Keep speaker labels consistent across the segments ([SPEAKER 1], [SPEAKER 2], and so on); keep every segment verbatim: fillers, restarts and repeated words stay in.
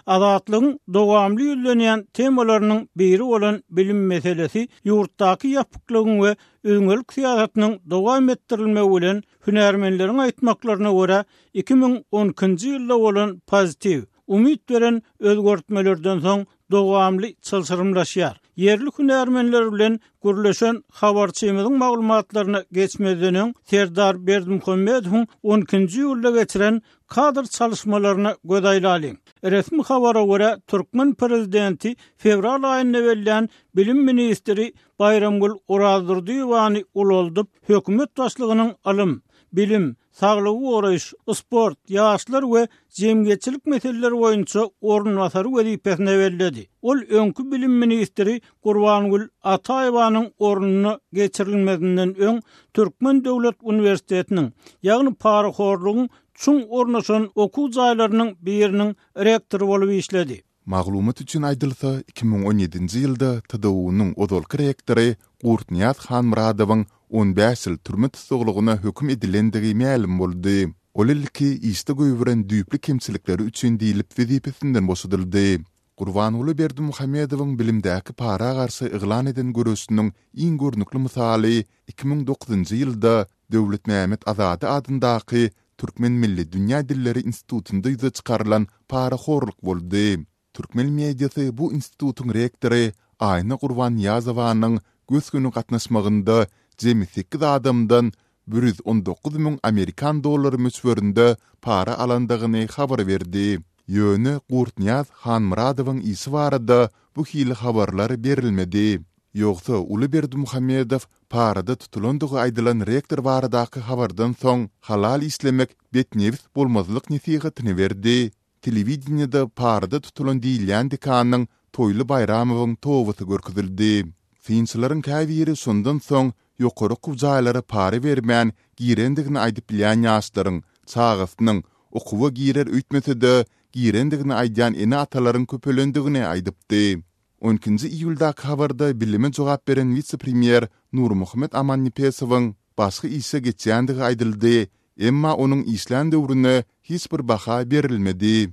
[SPEAKER 1] Azatlygyň dowamly ýüzlenýän temalarynyň biri bolan bilim meselesi ýurtdaky ýapyklygyň we üzňelik syýasatynyň dowam etdirilmegi bilen hünärmenleriň aýtmaklaryna görä iki müň on ikinji ýylda bolan pozitiw, umyt beren özgertmelerden soň dowamly çylşyrymlaşýar. Ýerli hünärmenler bilen gürleşen habarçymyzyň maglumatlaryna geçmezden öň Serdar Berdimuhamedowyň on ikinji iýulda geçiren kadr çalışmalaryna göz aýlalyň. Resmi habara görä türkmen prezidenti fewral aýynda bellän bilim ministri Baýramgül Orazdurdyýewany ulaldyp, hökümet başlygynyň ylym, bilim, saglygy goraýyş, sport, ýaşlar we jemgyýetçilik meseleleri boýunça orunbasary wezipesine belledi. Ol öňki bilim ministri Gurbangül Ataýewanyň ornuna geçirilmezinden öň Türkmen Döwlet Uniwersitetiniň, ýagny parahorlugyň çuň ornaşan okuw jaýlarynyň biriniň rektory bolup işledi.
[SPEAKER 2] Maglumat üçin aýdylsa, iki müň on ýedinji ýylda T D U-nyň ozalky rektory Gurtnyýaz Hanmyradowyň on bäş ýyl türme tussaglygyna höküm edilendigi mälim boldy. Ol ilki işde goýberen düýpli kemçilikleri üçin diýlip wezipesinden boşadyldy. Gurbanguly Berdimuhamedowyň bilimdäki para garşy yglan eden göreşiniň iň görnükli mysaly iki müň dokuzynjy ýylda Döwletmämmet Azady adyndaky Türkmen milli dünýä dilleri institutynda ýüze çykarylan parahorluk boldy. Türkmen mediasy bu institutyň rektory Aýna Gurbannyýazowanyň gös-göni gatnaşmagynda jemi sekiz adamdan bir ýüz on dokuz müň amerikan dollary möçberinde para alandygyny habar berdi. Ýöne Gurtnyýaz Hanmyradowyň işi barada bu hili habarlar berilmedi. Ýogsa uly Berdimuhamedow parada tutulandygy aýdylan rektor baradaky habardan soň halal işlemek betnebis bolmazlyk nesihatyny berdi. Telewideniýede parada tutulan diýilýän dekanyň Toýly Baýramowyň tobasy görkezildi. Synçylaryň käbiri şondan soň ýokary okuw jaýlara para bermän girendigini aýdyp bilýän ýaşlaryň çagasynyň okuwa girer öýtmese-de girendigini aýdýan ene-atalaryň köpelendigini aýdypdy. On ikinji iýuldaky habarda bilime jogap beren wise-premýer Nurmuhammet Amannepesowyň başga işe geçýändigi aýdyldy, emma onuň işlän döwrüne hiç bir baha berilmedi.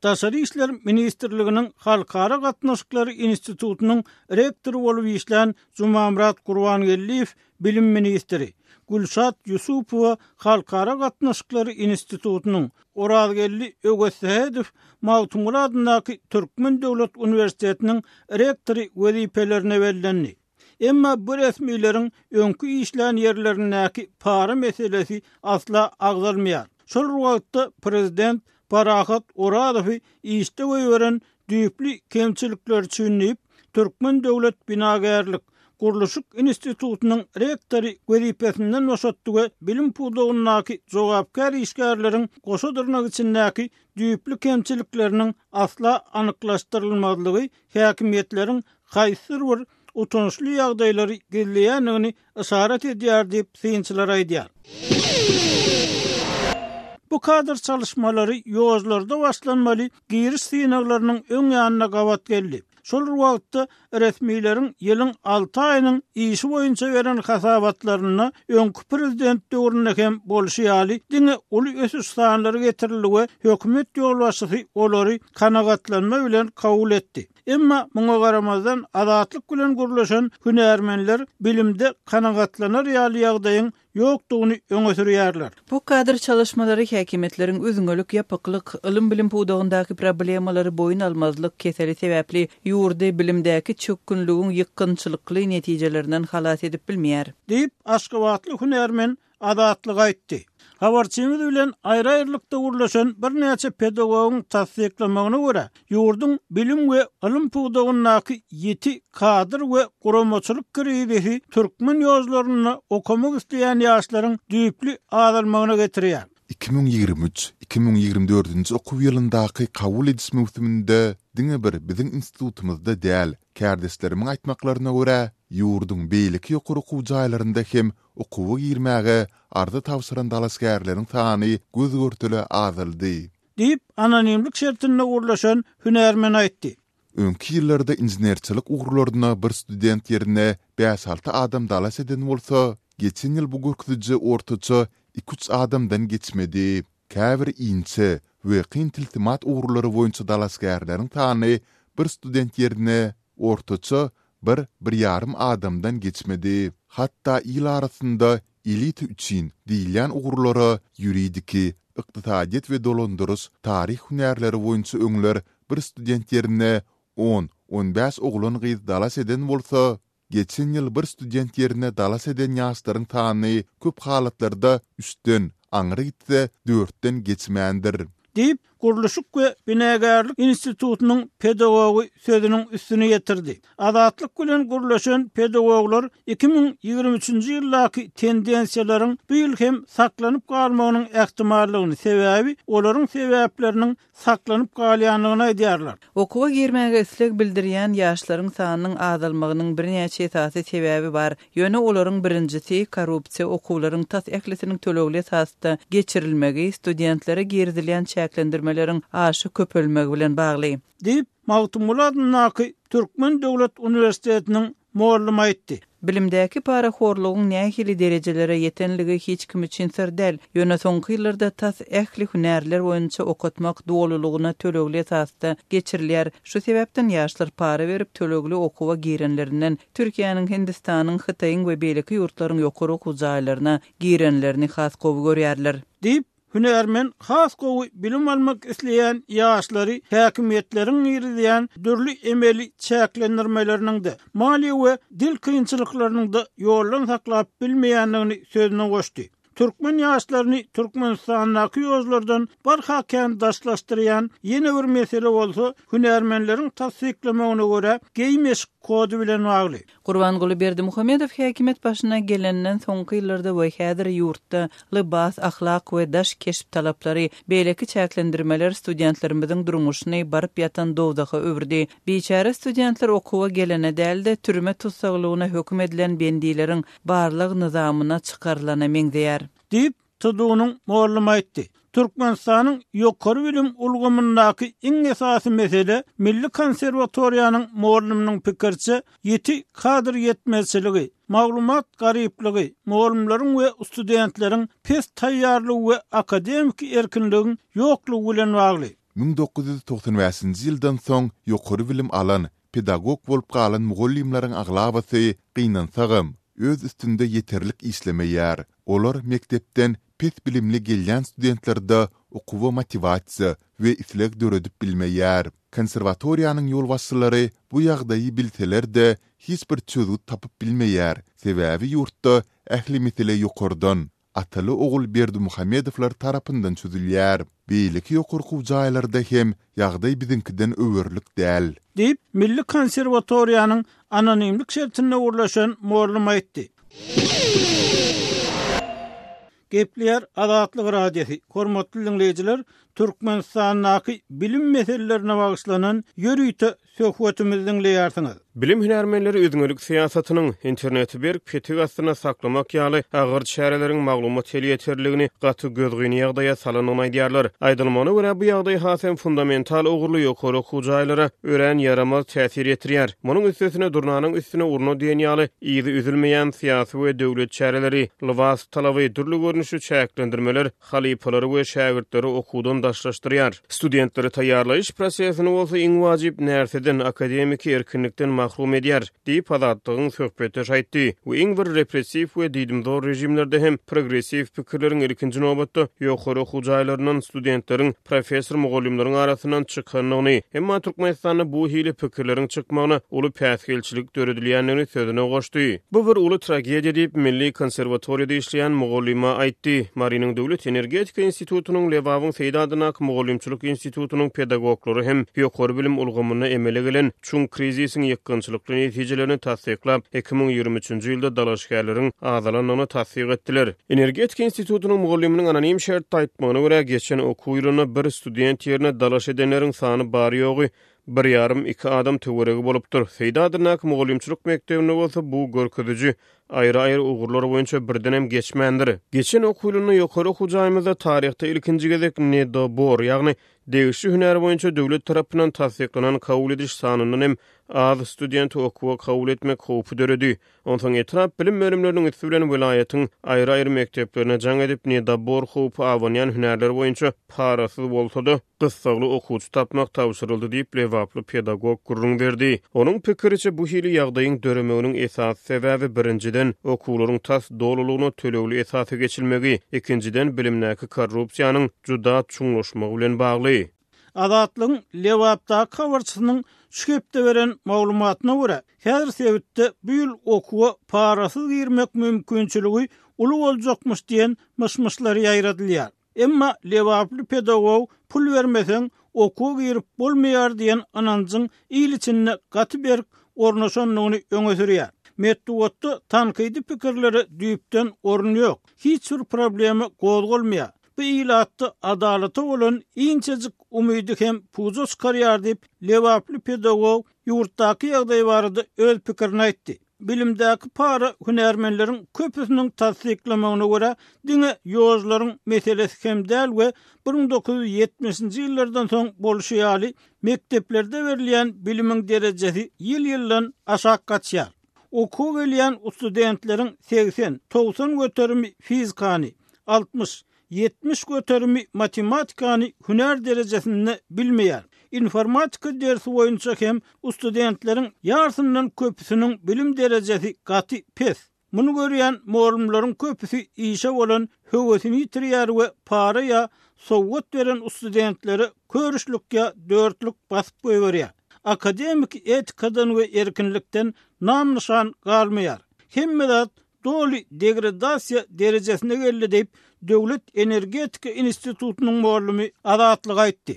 [SPEAKER 1] Daşary işler ministrliginiň Halkara gatnaşyklary institutynyň rektory bolup işlän Jumamyrat Gurbangeldiýew bilim ministri, Gülşat Ýusupowa Halkara gatnaşyklary institutynyň, Orazgeldi Öwezsähedow Magtymguly adyndaky Türkmen Döwlet Uniwersitetiniň rektory wezipelerine bellendi. Emma bu resmileriň öňki işlän ýerlerindäki para meselesi asla agzalmaýar. Şol wagtda prezident Parahat Orazowy işde goýberen düýpli kemçilikler üçin diýip, Türkmen Döwlet Binagärlik Gurluşyk institutynyň rektory wezipesinden boşatdy we bilim pudagyndaky jogapkär işgärleriň goşa dyrnak içindäki düýpli kemçilikleriniň asla anyklaşdyrylmazlygy häkimiýetleriň haýsydyr bir utançly ýagdaýlary gizleýändigini işaret edýär diýip synçylar aýdýar. Bu kadr çalışmalary ýollarda başlanmaly giriş synaglarynyň öň ýanyna gabat geldi. Şol wagtda resmileriň ýylyň alty aýynyň işi boýunça beren hasabatlarynda öňki prezident döwründe hem bolşy ýaly diňe uly ösüş sanlary getirildi we hökümet ýolbaşçysy olary kanagatlanma bilen kabul etdi. Emma muňa garamazdan azatlyk bilen gürleşen hünärmenler bilimde kanagatlanar ýaly ýagdaýyň ýokdugyny öňe sürýärler.
[SPEAKER 3] Bu kadr çalışmalary häkimiýetleriň üzňelik, ýapyklyk, ylym bilim pudagyndaky problemalary boýun almazlyk keseli sebäpli ýurdy bilimdäki çökgünligiň ýykgynçylykly netijelerinden halas edip bilmeýär.
[SPEAKER 1] Diýip, Aşgabatly hünärmen Azatlyk aýtdy. Habarçymyz bilen aýry-aýrylykda gürleşen birnäçe pedagogyň tassyklamagyna görä, ýurduň bilim we ylym pudagyndaky ýiti kadr we guramaçylyk krizisi türkmen ýollarynda okamak isleýän ýaşlaryň düýpli azalmagyna getirýär.
[SPEAKER 2] Iki müň ýigrimi üç, iki müň ýigrimi dördünji okuw ýylyndaky kabul ediş möwsüminde diňe bir biziň institutymyzda däl, kärdeşlerimiň aýtmaklaryna görä, ýurduň beýleki ýokary okuw jaýlarynda hem okuwa girmäge arza tabşyran dalaşgärleriň sany göz-görtele azaldy.
[SPEAKER 1] Diýip, anonimlik şertinde gürleşen hünärmen aýtdy.
[SPEAKER 2] Öňki ýyllarda inženerçilik ugurlaryna bir student ýerine bäş-alty adam dalaş eden bolsa, geçen ýyl bu görkeziji ortaça iki-üç adamdan geçmedi. Käbir inçe we kyn tilsimat ugurlary boýunça dalaşgärleriň sany bir student ýerine ortaça bir, bir ýarym adamdan geçmedi. Hatda il arasynda elita üçin diýilýän ugurlara ýuridiki, ykdysadyýet we dolandyryş, taryh hünärleri boýunça öňler bir student ýerine on, on bäş oglan-gyz dalaş eden bolsa, geçen ýyl bir student ýerine dalaş eden ýaşlaryň sany köp halatlarda üçden, aňry gitse dörtden geçmändir.
[SPEAKER 1] Diýip, Gurluşyk we binagärlik institutynyň pedagogy sözüniň üstüne ýetirdi. Azatlyk bilen gurlaşan pedagoglar iki müň ýigrimi üçünji ýyldaky tendensiýalaryň bu ýyl hem saklanyp galmagynyň ähtimallygyny, sebäbi olaryň sebäpleriniň saklanyp galýanlygyny aýdýarlar.
[SPEAKER 3] Okuwa girmäge isleg bildirýän ýaşlaryň sanynyň azalmagynyň birnäçe esasy sebäbi bar. Ýöne olaryň birinjisi korrupsiýa okuwlaryň tas ählisiniň tölegli esasda geçirilmegi, studentlere girizilýän çäklendirmeleriň aşa köpelmegi bilen bagly.
[SPEAKER 1] Diýip, Magtymguly adyndaky Türkmen Döwlet Uniwersitetiniň muallymy aýtdy.
[SPEAKER 3] Bilimdäki parahorlugyň nähili derejelere ýetenligi hiç kim üçin syr däl. Ýöne soňky ýyllarda tas ähli hünärler boýunça okatmak dolulygyna tölegli esasda geçirilýär. Şu sebäpden ýaşlar para berip tölegli okuwa girenlerinden Türkiýäniň, Hindistanyň, Hytaýyň we beýleki ýurtlaryň ýokary okuw jaýlaryna girenlerini has gowy görýärler.
[SPEAKER 1] Diýip, hünärmen has gowy bilim almak isleýän ýaşlary häkimiýetleriň girizýän dürli emeli çäklendirmeleriniň-de, maliýe we dil kynçylyklarynyň-da ýoldan saklap bilmeýändigini sözüne goşdy. Türkmen ýaşlaryny Türkmenistandaky ýollardan barha kän daşlaşdyrýan ýene bir mesele bolsa, hünärmenleriň tassyklamagyna görä geýim-eşik kody bilen bagly.
[SPEAKER 3] Gurbanguly Berdimuhamedow häkimiýet başyna gelenden soňky ýyllarda we häzir ýurtda lybas, ahlak we daş keşp talaplary, beýleki çäklendirmeler studentlerimiziň durmuşyny baryp ýatan dowzaha öwürdi. Biçäre studentler okuwa gelene däl-de, türme tussaglygyna höküm edilen bendileriň barlyk nyzamyna çykarylana meňzeýär.
[SPEAKER 1] Diýip, T D U'nyň muallymy aýtdy. Türkmenistanyň ýokary bilim ulgamyndaky iň esasy mesele Milli konserwatoriýanyň muallymynyň pikirçe ýiti kadr ýetmezçiligi, maglumat garyplygy, muallymlaryň we studentleriň pes taýýarlygy we akademiki erkinligiň ýoklugy bilen bagly.
[SPEAKER 2] Müň dokuz ýüz togsan bäşinji ýyldan soň ýokary bilim alan, pedagog bolup galan mugallymlaryň aglabasy gynansagam öz üstünde ýeterlik işlemeýär. Olar mekdepden pes bilimli gelýän studentlerde okuwa motivasiýa we isleg döredip bilmeýär. Konserwatoriýanyň ýolbaşçylary bu ýagdaýy bilseler-de hiç bir çözgüt tapyp bilmeýär. Sebäbi ýurtda ähli mesele ýokardan, ataly ogul Berdimuhamedowlar tarapyndan çözülýär. Beýleki ýokary okuw jaýlarda hem ýagdaý biziňkiden öwerlik däl.
[SPEAKER 1] Diýip, Milli konserwatoriýanyň anonimlik şertinde gurlaşan muallym aýtdy. Gepleýär Azatlyk Radiosy. Hormatly dinleýjiler, Türkmenistandaky bilim meselelerine bagyşlanan ýörite söhbetimizi dinleýärsiňiz.
[SPEAKER 4] Bilim hünärmenleri üzňelik syýasatynyň interneti berk petik astyna saklamak ýaly agyr çäreleriň maglumat elýeterligini gaty gözgyny ýagdaýa salanyny aýdýarlar. Aýdylmagyna görä bu ýagdaý has hem fundamental ugurly ýokary okuw jaýlara örän ýaramaz täsir ýetirýär. Munuň üstesine durnanyň üstüne urna diýen ýaly yzy üzülmeýän syýasy we döwlet çäreleri, lybas talaby, dürli görnüşli çäklendirmeler halypalary we şägirtleri okuwdan daşlaşdyrýar. Studentleri taýýarlaýyş prosesini bolsa iň wajyp närseden, akademiki erkinlikden mahrum edýär, diýip Azatlygyň söhbetdeşi aýtdy. We iň bir repressiw we diýdimzor rejimlerde hem progressiw pikirleriň ilkinji nobatda ýokary okuw jaýlaryndan studentleriň, professor mugallymlaryň arasyndan çykandygyny, emma Türkmenistanda bu hili pikirleriň çykmagyna uly päsgelçilik döredilýändigini sözüne goşdy. Bu bir uly tragediýa diýip Milli konserwatoriýada işleýän mugallyma aýtdy. Marynyň Döwlet Energetika institutynyň Lebabyň Seýit adyndaky mugallymçylyk institutynyň pedagoglary hem ýokary bilim ulgamynda emele gelen çuň krizisiň ýykgynçylykly netijelerini tassyklap, iki müň ýigrimi üçünji ýylda dalaşgärleriň azalandygyny tassyk etdiler. Energetika institutynyň mugallymynyň anonim şertde aýtmagyna görä geçen okuw ýylynda bir student ýerine dalaş edenleriň sany bary ýogy bir ýarym iki adam töweregi bolupdyr. Seýit adyndaky mugallymçylyk mekdebinde bolsa bu görkeziji aýry-aýry ugurlar boýunça birdenem geçmändir. Geçen okuw ýylynda ýokary okuw jaýymyzda taryhda ilkinji gezek nedobor, ýagny degişli hünär boýunça döwlet tarapyndan tassyklanan kabul ediş sanyndan hem az studenti okuwa kabul etmek howpy döredi. Onsoň etrap bilim bölümleriniň üsti bilen welaýatyň aýry-aýry mekdeplerine jaň edip nedobor howpy abanýan hünärler boýunça parasyz bolsa-da gyssagly okuwçy tapmak tabşyryldy diýip Lebaply pedagog gürrüň berdi. Onuň pikiriçe bu hili ýagdaýyň döremeginiň esasy sebäbi birinjiden okuwlaryň tas dolulygyna tölegli esasy geçilmegi, ikinjiden bilimdäki korrupsiýanyň juda çuňlaşmagy bilen bagly.
[SPEAKER 1] Azatlygyň Lebapdaky habarçysynyň şu hepde beren maglumatyna görä, häzir sebitde bu ýyl okuwa parasyz girmek mümkinçiligi uly boljakmyş diýen myş-myşlar ýaýradylýar. Emma Lebaply pedagog pul bermeseň okuwa girip bolmaýar diýen ynanjyň il içinde gaty berk ornaşandygyny öňe sürýär. Metbugatda tankydy pikirlere düýpden orun ýok. Hiç bir problema gozgalmaýar. Bu ilatda adalata bolan inçejik umydy hem puja çykarýar diýip Lebaply pedagog ýurtdaky ýagdaý barada öz pikirini aýtdy. Bilimdäki para hünärmenleriň köpüsiniň tassyklamagyna görä diňe ýolcularyň meselesi hem däl we bir müň dokuz ýüz ýetmişinji ýyllardan soň bolşy ýaly mekdeplerde berilýän bilimiň derejesi ýyl-ýyldan aşak gaçýar. Okuw gelýän studentleriň seksen, togsan göterimi fizikany, altmyş, ýetmiş göterimi matematikany hünär derejesinde bilmeýär. Informatika dersi boýunça hem studentleriň ýarysyndan köpüsiniň bilim derejesi gaty pes. Muny görýän mugallymlaryň köpüsi işe bolan höwesini ýitirýär we para ýa sowgat beren studentlere körüşlik ýa dörtlük basyp goýberýär. Akademik etikadan we erkinlikden nam nişan galmaýar. Hemme zat doly degradasiýa derejesine geldi diýip Döwlet Energetika Institutynyň mugallymy Azatlyk aýtdy.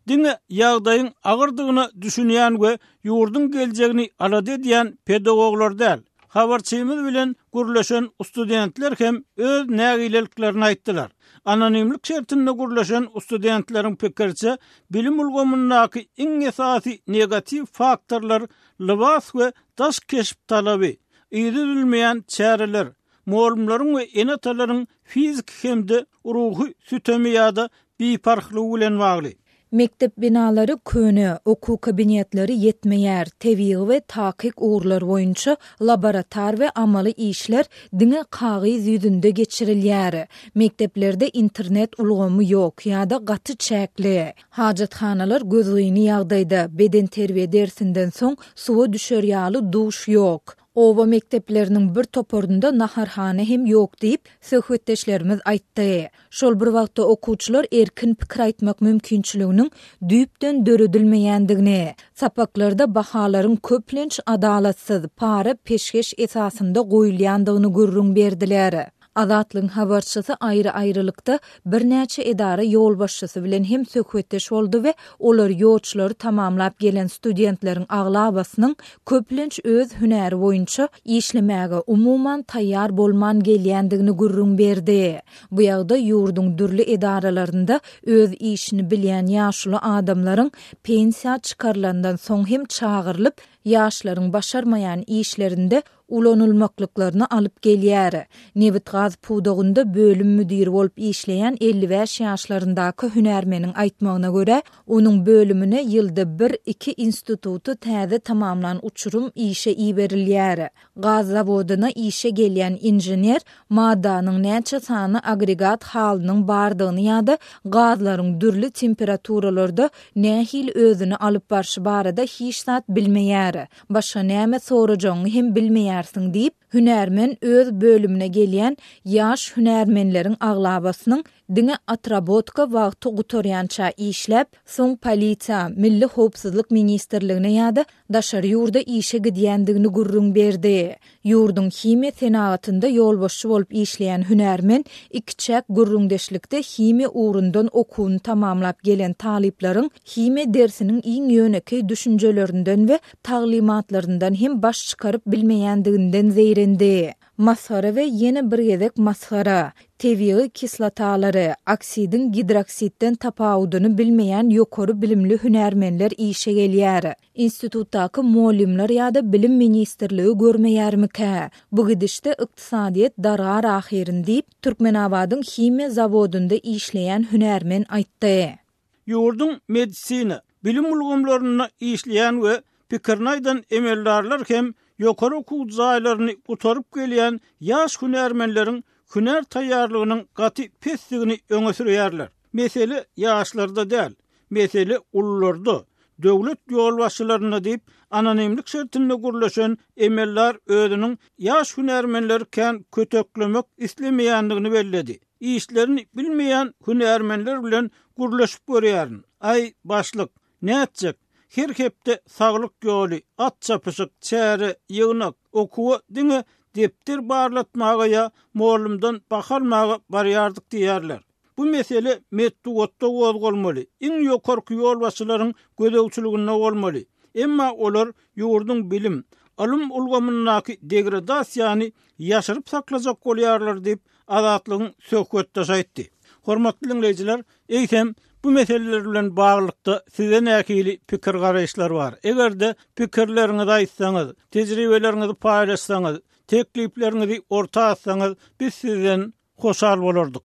[SPEAKER 1] Diňe ýagdaýyň agyrdygyna düşünýän we ýurduň geljegini alada edýän pedagoglar däl. Habarçymyz bilen gürleşen studentler hem öz nägileliklerini aýtdylar. Anonimlik şertinde gürleşen studentleriň pikiriçe bilim ulgamyndaky iň esasy negatiw faktorlar lybas we daş keşp talaby, yzy üzülmeýän çäreler, mugallymlaryň we ene-atalaryň fiziki hem-de ruhy sütemi ýa-da biparhlygy bilen bagly.
[SPEAKER 5] Mektep binalary köne, okuw kabinetleri ýetmeýär, tebigy we takyk ugurlar boýunça laborator we amaly işler diňe kagyz ýüzünde geçirilýär. Mekdeplerde internet ulgamy ýok ýa-da gaty çäkli. Hajathanalar gözgyny ýagdaýda, beden terbiýe dersinden soň suwa düşer ýaly duş ýok. Oba mekdepleriniň bir toparynda naharhana hem ýok diýip söhbetdeşlerimiz aýtdy. Şol bir wagtda okuwçylar erkin pikir aýtmak mümkinçiliginiň düýpden döredilmeýändigini, sapaklarda bahalaryň köplenç adalatsyz, para peşgeş esasynda goýulýandygyny gürrüň berdiler. Azatlygyň habarçysy aýry-aýrylykda birnäçe edara ýolbaşçysy bilen hem söhbetdeş boldy we olar ýolçulary tamamlap gelen studentleriň aglabasynyň köplenç öz hünäri boýunça işlemäge umuman taýýar bolman gelýändigini gürrüň berdi. Bu ýagdaý ýurduň dürli edaralarynda öz işini bilýän ýaşuly adamlaryň pensiýa çykarylandan soň hem çagyrylyp, ýaşlaryň başarmaýan işlerinde ulanylmaklyklaryny alyp gelýär. Nebit-gaz pudagynda bölüm müdiri bolup işleýän elli bäş ýaşlaryndaky hünärmeniň aýtmagyna görä, onuň bölümine ýylda bir iki instituty täze tamamlan uçurum işe iberilýär. Gaz zawodyna işe gelýän inžener maddanyň näçe sany agregat halynyň bardygyny ýa-da gazlaryň dürli temperaturalarda nähili özüni alyp barşy barada hiç zat bilmeýär. Başga näme sorajagyňy hem bilmeýärsiň diýip, hünärmen öz bölümine gelýän ýaş hünärmenleriň aglabasynyň diňe otrabotka wagty gutarýança işläp, soň polisiýa, Milli howpsuzlyk ministrligine ýa-da daşary ýurda işe gidýändigini gürrüň berdi. Ýurduň himiýa senagatynda ýolbaşçy bolup işleýän hünärmen ikiçäk gürrüňdeşlikde himiýa ugrundan okuwyny tamamlap gelen talyplaryň himiýa dersiniň iň ýönekeý düşünjelerinden we taglymatlaryndan hem baş çykaryp bilmeýändiginden zeýrendi. Masgara we ýene bir gezek masgara. Tebigy kislotalary, oksidiň gidroksidden tapawudyny bilmeýän ýokary bilimli hünärmenler işe gelýär. Institutdaky mugallymlar ýa-da bilim ministrligi görmeýärmikä? Bu gidişde ykdysadyýet dargar ahyryn diýip, Türkmenabadyň himiýa zawodynda işleýän hünärmen aýtdy.
[SPEAKER 1] Ýurduň medisina, bilim ulgamlarynda işleýän we pikirini aýdan emeldarlar hem ýokary okuw jaýlaryny gutaryp gelýän ýaş hünärmenleriň hünär taýýarlygynyň gaty pesdigini öňe sürýärler. Mesele ýaşlarda däl, mesele ulularda, döwlet ýolbaşçylarynda diýip, anonimlik şertinde gürleşen emeldar özüniň ýaş hünärmenleri kän köteklemek islemeýändigini belledi. Işlerini bilmeýän hünärmenler bilen gürleşip görýärin. Aý, başlyk, nätjek? Her hepde saglyk ýoly, at çapyşyk, çäre, ýygnak, okuwa diňe depder barlatmaga ýa mugallymdan baha almaga barýardyk diýýärler. Bu mesele metbugatda gozgalmaly, iň ýokarky ýolbaşçylaryň gözegçiliginde bolmaly. Emma olar ýurduň bilim, ylym ulgamyndaky degradasiýany ýaşyryp saklajak bolýarlar diýip, Azatlygyň söhbetdeşi aýtdy. Hormatly diňleýjiler, eýsem bu meseleler bilen baglylykda size nähili pikir garaýyşlar bar? Eger-de pikirleriňizi aýtsaňyz, tejribeleriňizi paýlaşsaňyz, teklipleriňizi orta atsaňyz, biz sizden hoşal bolardyk.